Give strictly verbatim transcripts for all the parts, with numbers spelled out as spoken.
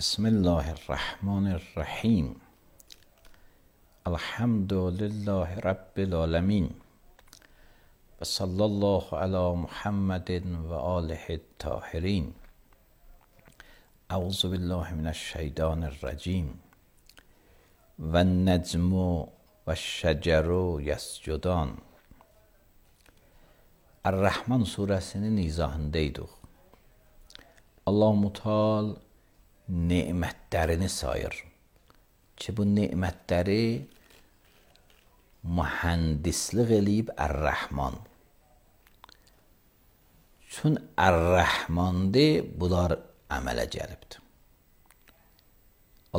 بسم الله الرحمن الرحیم. الحمد لله رب العالمین و صلی الله علی محمد و آله الطاهرین. اعوذ بالله من الشیطان الرجیم. و النجم و الشجر یسجدان. الرحمن suresinin izahındaydık. Allah-u Teala nemətlərini sayır ki, bu nemətləri mühəndislik eləyib Ər-Rəhman. Çün Ər-Rəhmandır, bunlar əmələ gəlibdir.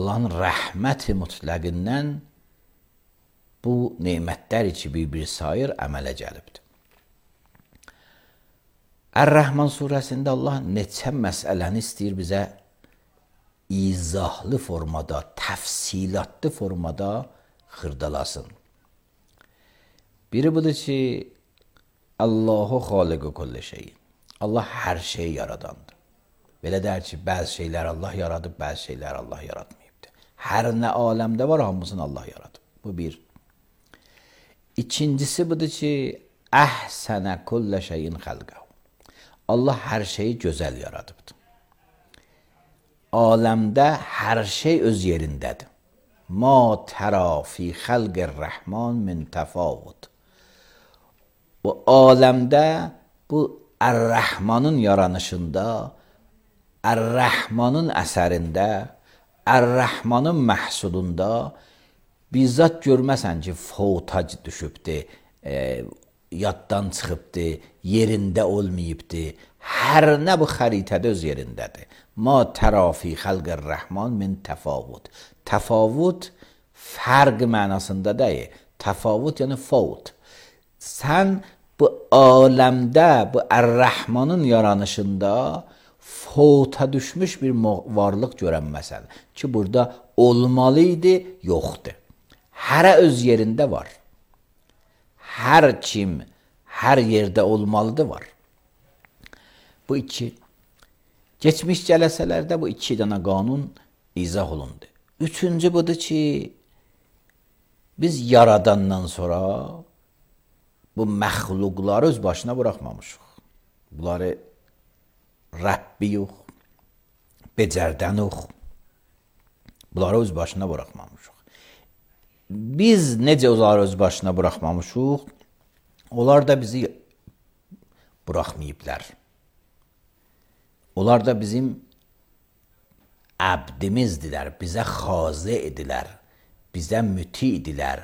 Allahın rəhməti mütləqindən bu nemətlər ki, bir-bir sayır, əmələ gəlibdir. Ər-Rəhman surəsində Allah neçə məsələni istəyir bizə izahlı formada, təfsilatlı formada xırdalasın. Biri budur ki, Allahu xaliqu kulli şey. Allah hər şeyi yaradandır. Belə deyər ki, bəzi şeylər Allah yaradıb, bəzi şeylər Allah yaratmayıbdır. Hər nə aləmdə var, hamısını Allah yaradıb. Bu bir. İkincisi budur ki, əhsənə kulli şeyin xəlqəhu. Allah hər şeyi gözəl yaradıbdır. Aləmdə hər şey öz yerindədir. Ma tərə fi xəlqir rəhman min təfavut. Bu aləmdə bu Ər-Rəhmanın yaranışında, Ər-Rəhmanın əsərində, Ər-Rəhmanın məhsulunda bizzat görməsən ki, fotaj düşübdir, e, yaddan çıxıbdır, yerində olmayıbdır. Hər nə bu xəritədə öz yerindədir. Ma tərə fi xəlqir rəhman min təfavut. Təfavut fərq mənasında deyil. Təfavut yəni fovt. Sən bu aləmdə, bu Ər-Rəhmanın yaranışında fovta düşmüş bir varlıq görənməsən ki, burada olmalı idi, yoxdur. Hərə öz yerində var. Hər kim, hər yerdə olmalıdır, var. Bu iki. Geçmiş cələsələrdə bu iki dənə qanun izah olundu. Üçüncü budur ki, biz yaradandan sonra bu məxluqları öz başına buraxmamışıq. Bunları Rəbbi yox, becərdən yox. Bunları öz başına buraxmamışıq. Biz necə onları öz başına buraxmamışıq, onlar da bizi buraxmayıblar. Onlar da bizim əbdimizdilər, bizə xazı idilər, bizə müti idilər,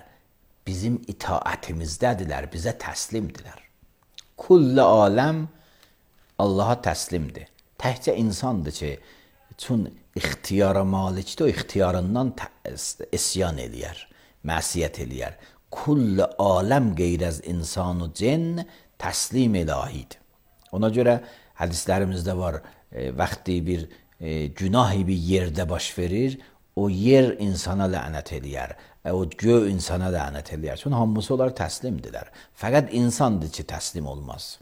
bizim itaətimizdədirlər, bizə təslimdirlər. Kulli aləm Allaha təslimdir. Təkcə insandır ki, çün ixtiyara malikdir, o ixtiyarından isyan eləyər, məsiyyət eləyər. Kulli aləm qeyr az insanu cin təslim ilahidir. Ona görə hədislərimizdə var, e, vaxtı bir e, günahı bir yerdə baş verir, o yer insana lənət eləyər, e, o göy insana lənət eləyər. Çünki hamısı onlar təslimdirlər. Fəqət insandır ki, təslim olmaz.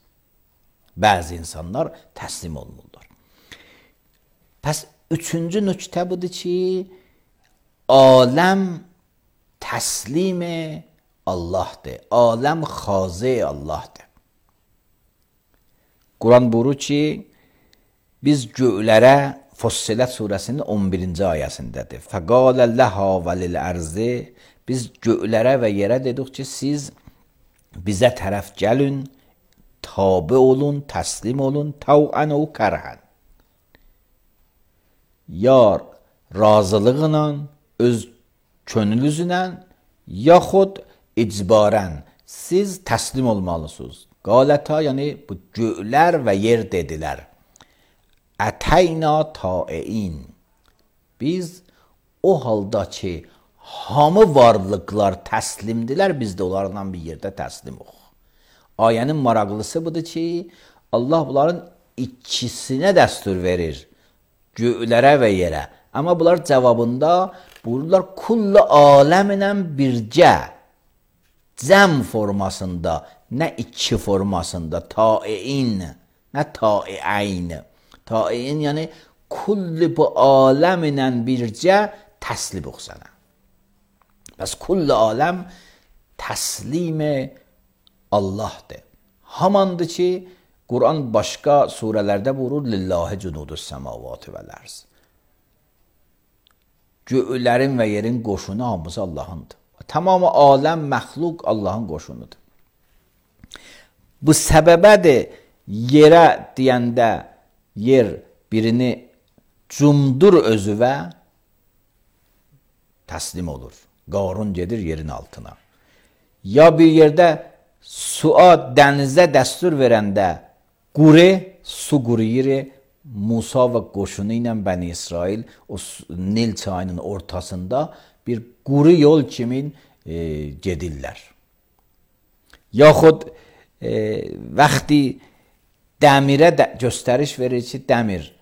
Bəzi insanlar təslim olmurlar. Pəs üçüncü nöqtə budur ki, aləm təslimi Allahdır. Aləm xazı Allahdır. Quran buyurur ki, biz göylərə Fussilet surəsinin on birinci ayəsindədir. Fəqalə ləhə və lil-ərzi. Biz göylərə və yerə dedik ki, siz bizə tərəf gəlin, tabi olun, təslim olun, təvən o kərhən. Ya razılıqla, öz könlünüzlə, yaxud icbarən siz təslim olmalısınız. Qalətə, yəni bu göylər və yer dedilər. Ətəyna taein. Biz O halda ki, hamı varlıqlar təslimdilər, biz də onlarla bir yerdə təslimoq. Ayənin maraqlısı budur ki, Allah bunların ikisinə dəstur verir, göylərə və yerə. Amma bunlar cavabında buyururlar, kullu aləminə bircə, cəm formasında, nə iki formasında, taiin, nə taiəyn. Taiin, yəni kulli bu aləminə bircə təslim ox sənə. Bəs kulli aləm təslimi Allahdır. Hamandır ki, Quran başqa surələrdə buyurur, lillahi cunudus səmavati vəl-ərz. Göylərin və yerin qoşunu hamısı Allahındır. Tamamı aləm, məxluq Allahın qoşunudur. Bu səbəbədir, yerə deyəndə yer birini cumdur özüvə təslim olur. Qarun gedir yerin altına. Ya bir yerdə suya, dənizə dəstur verəndə quri, su quruyur, Musa və qoşunu ilə Bəni İsrail o Nil çayının ortasında bir quru yol kimi e, gedirlər. Yaxud e, vaxtı dəmirə də göstəriş verir ki, dəmir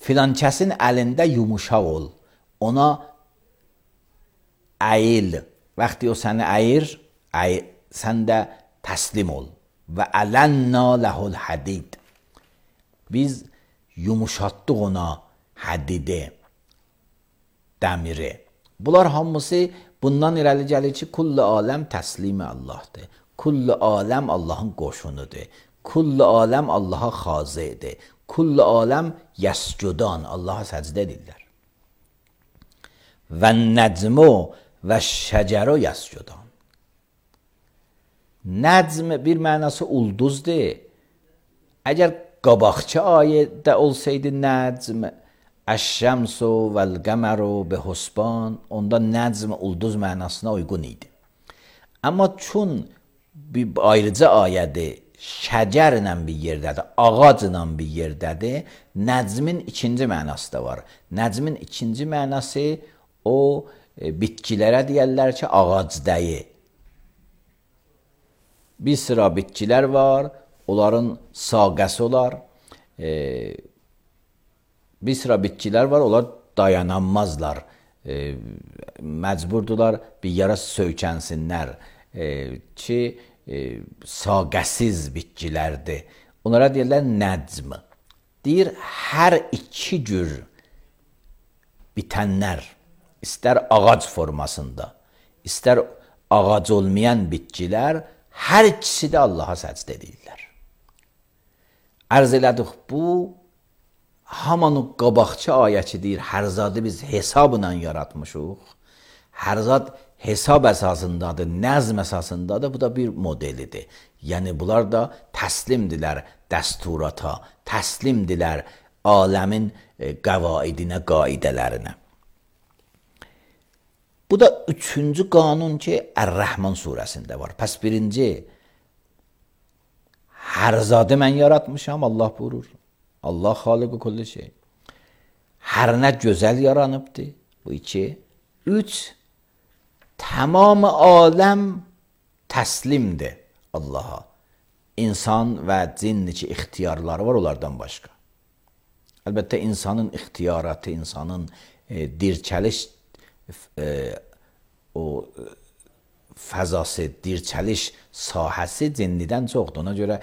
filan kəsin əlində yumuşaq ol, ona əyil. Vaxtı o səni əyir, əyir, sən də təslim ol. Və ələnna ləhul hədid. Biz yumuşatdıq ona hədidi, dəmiri. Bunlar hamısı bundan irəli gəlir ki, kulli aləm təslimi Allahdır. Kulli aləm Allahın qoşunudur. Kulli aləm Allaha xazidir. Kulli aləm yəscudan, Allaha səcdə edirlər. Və nəcmu və şəcəru yəscudan. Nəcm bir mənası ulduzdur. Əgər qabaqçı ayədə olsaydı nəcm, əş-şəmsu vəl-qəməru bihusban, onda nəcm ulduz mənasına uyğun idi. Amma çün bir ayrıca ayədir, şəcərlə bir yerdədir, ağacla bir yerdədir, nəcmin ikinci mənası da var. Nəcmin ikinci mənası o e, bitkilərə deyərlər ki, ağacdayı. Bir sıra bitkilər var, onların saqəsi olar. E, bir sıra bitkilər var, onlar dayananmazlar. E, məcburdular bir yara söykənsinlər e, ki, e, saqəsiz bitkilərdir. Onlara deyirlər nəcm. Deyir, hər iki cür bitənlər, istər ağac formasında, istər ağac olmayan bitkilər, hər ikisi də Allaha səcdə edirlər. Ərz elədik, bu haman o qabaqçı ayəçi deyir, hər zadı biz hesabla yaratmışıq. Hər zad hesab əsasındadır, nəzm əsasındadır, bu da bir modelidir. Yəni, bunlar da təslimdilər dəsturata, təslimdilər aləmin qəvaidinə, qaidələrinə. Bu da üçüncü qanun ki, Ər-Rəhman surəsində var. Pəs birinci, hər zadı mən yaratmışam, Allah buyurur. Allah xaliqü kulli şey. Hər nə gözəl yaranıbdır. Bu iki. Üç, tamam aləm təslimdir Allaha. İnsan və cin ki, ixtiyarları var onlardan başqa. Əlbəttə, insanın ixtiyaratı, insanın e, dirçəliş e, o e, fəzası, dirçəliş sahəsi cinnidən çoxdur. Ona görə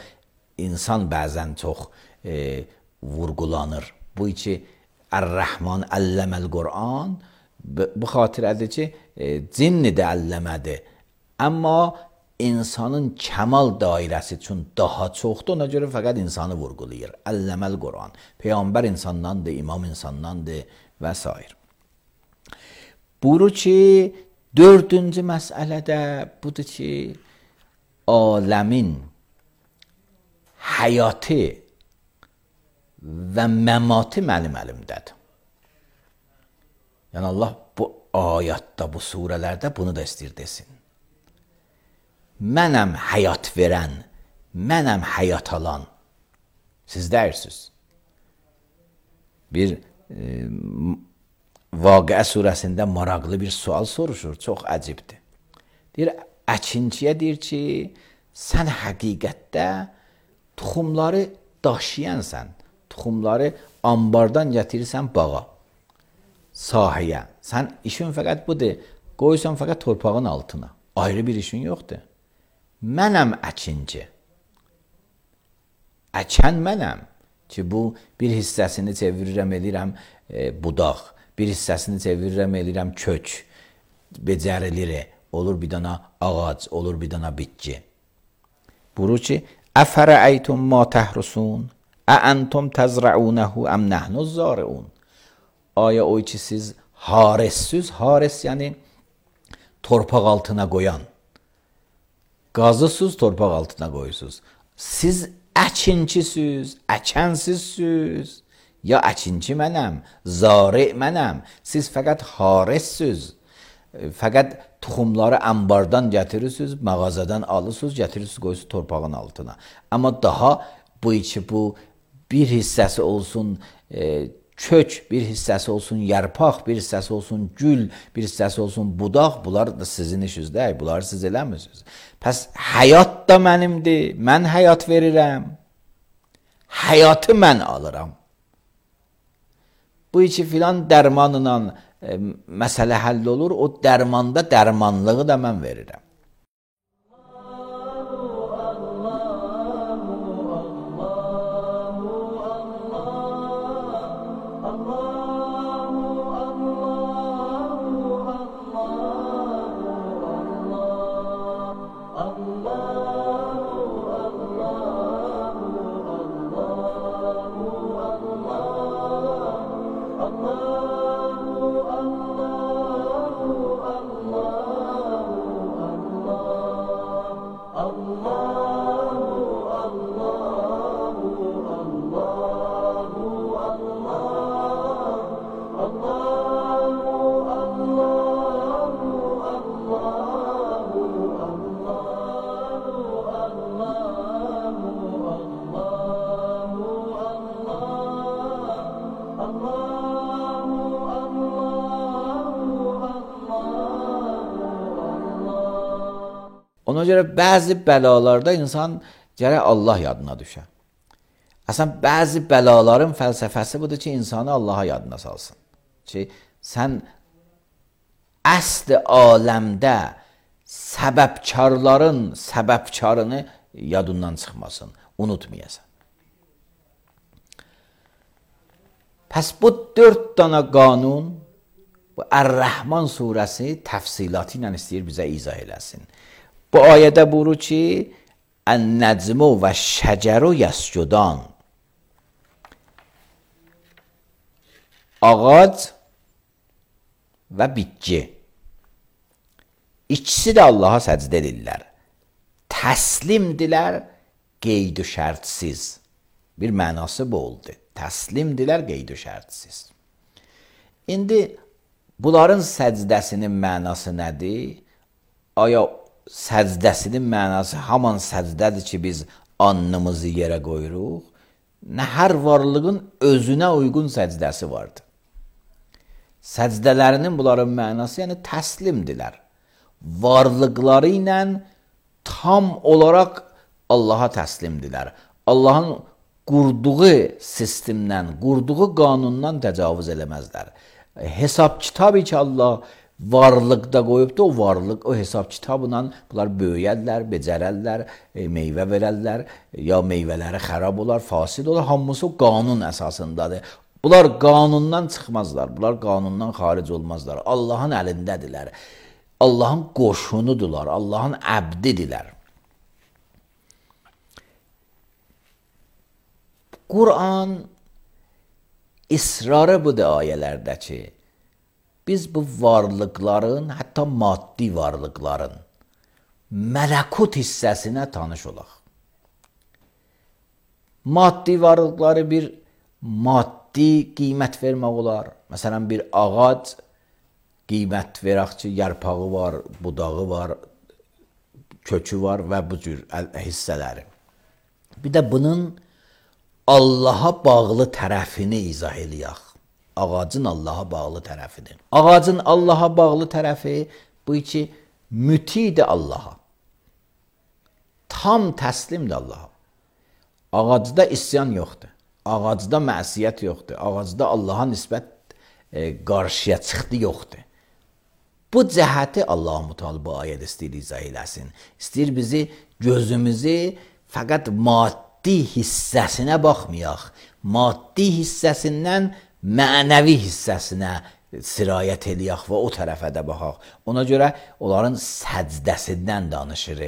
insan bəzən çox e, vurgulanır. Bu iki Ər-Rəhman əlləməl Qur'an bu xatirədir ki, e, cinni də əlləmədir. Amma insanın kəmal dairəsi üçün daha çoxdur. Ona görə fəqət insanı vurgulayır. Əlləməl Qur'an. Peyğəmbər insandandır, imam insandandır və s. Buyurur ki, dördüncü məsələdə budur ki, aləmin həyatı və məmatı mənim əlimdədir. Yəni, Allah bu ayətdə, bu surələrdə bunu da istəyir desin. Mənəm həyat verən, mənəm həyat alan. Siz deyirsiniz. Bir e, Vaqiə surəsində maraqlı bir sual soruşur, çox əcibdir. Deyir, əkinçiyə deyir ki, sən həqiqətdə tuxumları daşıyansan, tuxumları ambardan gətirirsən bağa, sahəyə. Sən işin fəqət budur, qoysan fəqət torpağın altına. Ayrı bir işin yoxdur. Mənəm əkinci. Əkən mənəm ki, bu bir hissəsini çevirirəm, eləyirəm e, budaq, bir hissəsini çevirirəm, eləyirəm kök, becərilir, olur bir dana ağac, olur bir dana bitki. Buyurur ki, əfərəəytum ma təhrusun, əəntum təzrəunəhu əm nəhnuz zariun. Aya o ki, siz haressüz, hares yəni torpaq altına qoyan, qazısız torpaq altına qoyusuz. Siz əkinçisiniz, əkənsizsiniz, ya əkinçi mənəm, zari mənəm, siz fəqət haressiniz, fəqət tuxumları ambardan gətirirsiniz, mağazadan alırsınız, gətirirsiniz, qoyursunuz torpağın altına. Amma daha bu içi bu bir hissəsi olsun e, kök, bir hissəsi olsun yarpaq, bir hissəsi olsun gül, bir hissəsi olsun budaq, bunlar da sizin işiniz deyil, bunları siz eləmirsiniz. Pəs həyat da mənimdir, mən həyat verirəm, həyatı mən alıram. Bu içi filan dərmanla e, məsələ həll olur, o dərmanda dərmanlığı da mən verirəm. Ona görə bəzi bəlalarda insan gərək Allah yadına düşər. Əslən, bəzi bəlaların fəlsəfəsi budur ki, insanı Allaha yadına salsın. Ki, sən əsl aləmdə səbəbkarların səbəbkarını yadından çıxmasın, unutmayasan. Pəs bu dörd dana qanun, bu Ər-Rəhman surəsi təfsilatı ilə istəyir bizə izah eləsin. Bu ayədə buyurur ki, Ən-nəcmu və şəcəru yəscudan. Ağac və bitki. İkisi də Allaha səcdə edirlər. Təslimdilər, qeyd-i şərtsiz. Bir mənası bu oldu. Təslimdilər, qeyd-i şərtsiz. İndi bunların səcdəsinin mənası nədir? Aya səcdəsinin mənası haman səcdədir ki, biz alnımızı yerə qoyuruq. Nə hər varlığın özünə uyğun səcdəsi vardır. Səcdələrinin bunların mənası yəni təslimdilər. Varlıqları ilə tam olaraq Allaha təslimdilər. Allahın qurduğu sistemdən, qurduğu qanundan təcavüz eləməzlər. Hesab kitabı ki, Allah varlıqda qoyubdur, o varlıq, o hesab kitabla bunlar böyüyərlər, becərərlər, e, meyvə verərlər, ya meyvələri xərab olar, fasid olar, hamısı o qanun əsasındadır. Bunlar qanundan çıxmazlar, bunlar qanundan xaric olmazlar. Allahın əlindədirlər, Allahın qoşunudular, Allahın əbdidirlər. Quran israrı budur ayələrdə ki, biz bu varlıqların, hətta maddi varlıqların mələkut hissəsinə tanış olaq. Maddi varlıqları bir maddi qiymət vermək olar. Məsələn, bir ağac qiymət verək ki, yarpağı var, budağı var, kökü var və bu cür hissələri. Bir də bunun Allaha bağlı tərəfini izah eləyək. Ağacın Allaha bağlı tərəfidir. Ağacın Allaha bağlı tərəfi bu ki, mütidir Allaha. Tam təslimdir Allaha. Ağacda isyan yoxdur. Ağacda məsiyyət yoxdur. Ağacda Allaha nisbət e, qarşıya çıxdı yoxdur. Bu cəhəti Allah-u Teala bu ayədə istəyir izah eləsin. İstəyir bizi, gözümüzü fəqət maddi hissəsinə baxmayaq. Maddi hissəsindən mənəvi hissəsinə sirayət eləyək və o tərəfə də baxaq. Ona görə onların səcdəsindən danışır.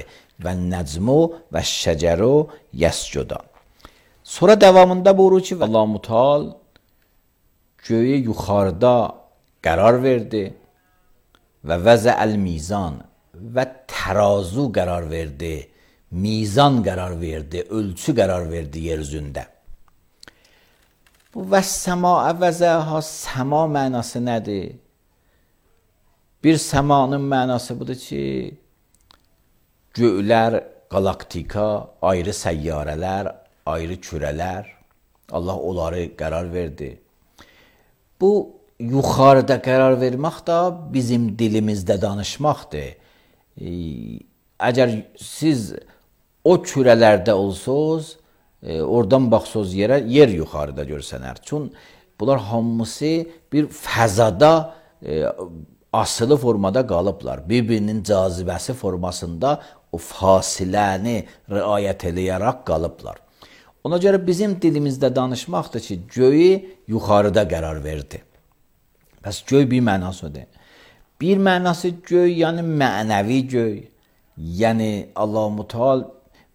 Və nəcmu və şəcəru yəscuda. Sonra davamında buyurur ki, Allah-u Teala göyü yuxarıda qərar verdi və vəzəəl mizan və tərazu qərar verdi, mizan qərar verdi, ölçü qərar verdi yer üzündə. Bu və səma vəzəha, səma mənası nədir? Bir səmanın mənası budur ki, göylər, qalaktika, ayrı səyyarələr, ayrı kürələr, Allah onları qərar verdi. Bu, yuxarıda qərar vermək də bizim dilimizdə danışmaqdır. E, əgər siz o kürələrdə olsuz, e, oradan baxsız yerə, yer yuxarıda görsənər. Çün bunlar hamısı bir fəzada e, asılı formada qalıblar. Bir-birinin cazibəsi formasında o fasiləni riayət eləyərək qalıblar. Ona görə bizim dilimizdə danışmaqdır ki, göyü yuxarıda qərar verdi. Bəs göy bir mənasıdır. Bir mənası göy, yəni mənəvi göy. Yəni Allah-u Teala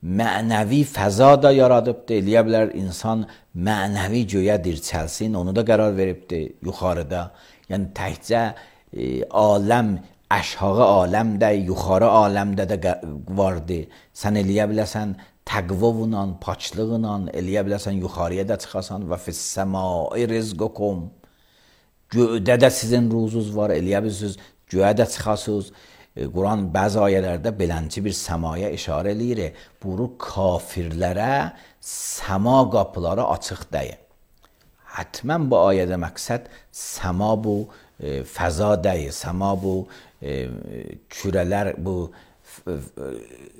mənəvi fəza da yaradıbdır. Eləyə bilər insan mənəvi göyə dirçəlsin, onu da qərar veribdir yuxarıda. Yəni təkcə e, aləm, aşağı aləmdə, yuxarı aləmdə də vardı. Sən eləyə biləsən təqvavla, paçlıqla, eləyə biləsən yuxarıya da çıxasan və fis-səmai rizqukum. Göydə də sizin ruzunuz var, eləyə bilirsiniz, göyə də çıxasınız. E, Quran bəzi ayələrdə belənci bir səmaya işarə eləyir. Buyurur, kafirlərə səma qapıları açıq deyil. Hətmən bu ayədə məqsəd səma bu e, fəza deyil, səma bu e, kürələr, bu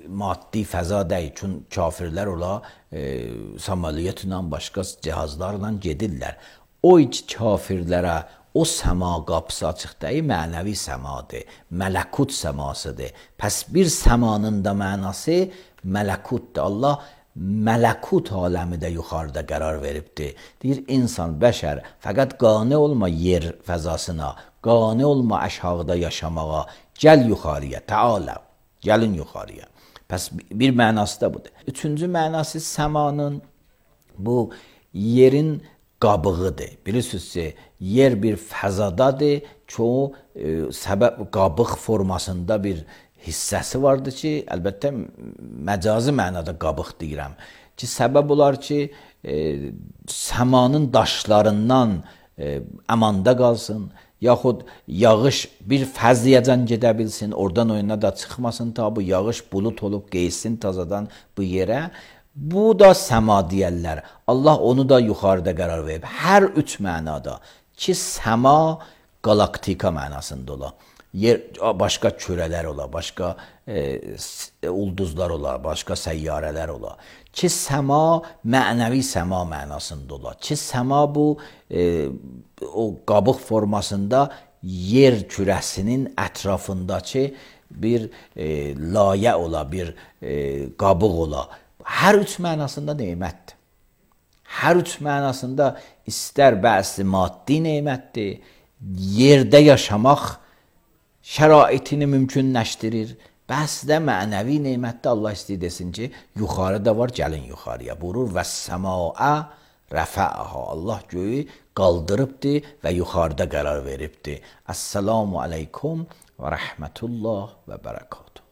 maddi fəza deyil. Çünki kafirlər ola e, samaliyyətlə, başqa cihazlarla gedirlər. O iç kafirlərə o səma qapısı açıq deyil, mənəvi səmadır, mələkut səmasıdır. Pəs bir səmanın da mənası mələkutdur. Allah mələkut aləmi də yuxarıda qərar veribdir. Deyir, insan, bəşər, fəqət qane olma yer fəzasına, qane olma aşağıda yaşamağa, gəl yuxarıya, təalə, gəlin yuxarıya. Pəs bir mənası da budur. Üçüncü mənası səmanın bu yerin qabığıdır. Bilirsiniz ki, yer bir fəzadadır ki, o e, səbəb qabıq formasında bir hissəsi vardır ki, əlbəttə məcazi mənada qabıq deyirəm ki, səbəb olar ki, e, səmanın daşlarından e, əmanda qalsın, yaxud yağış bir fəzliyəcən gedə bilsin, oradan oyuna da çıxmasın, ta bu yağış bulut olub qeysin tazadan bu yerə. Bu da səma deyərlər. Allah onu da yuxarıda qərar verib. Hər üç mənada ki, səma qalaktika mənasında ola. Yer, başqa kürələr ola, başqa e, ulduzlar ola, başqa səyyarələr ola. Ki, səma mənəvi səma mənasında ola. Ki, səma bu e, o qabıq formasında yer kürəsinin ətrafındakı bir e, layə ola, bir e, qabıq ola. Hər üç mənasında neymətdir. Hər üç mənasında istər bəzi maddi neymətdir, yerdə yaşamaq şəraitini mümkünləşdirir, bəzi də mənəvi neymətdə Allah istəyir desin ki, yuxarıda var, gəlin yuxarıya. Buyurur, və səmaa rəfəəha. Allah göyü qaldırıbdır və yuxarıda qərar veribdir. Əssalamu aleykum və rəhmətullah və bərəkatuhu.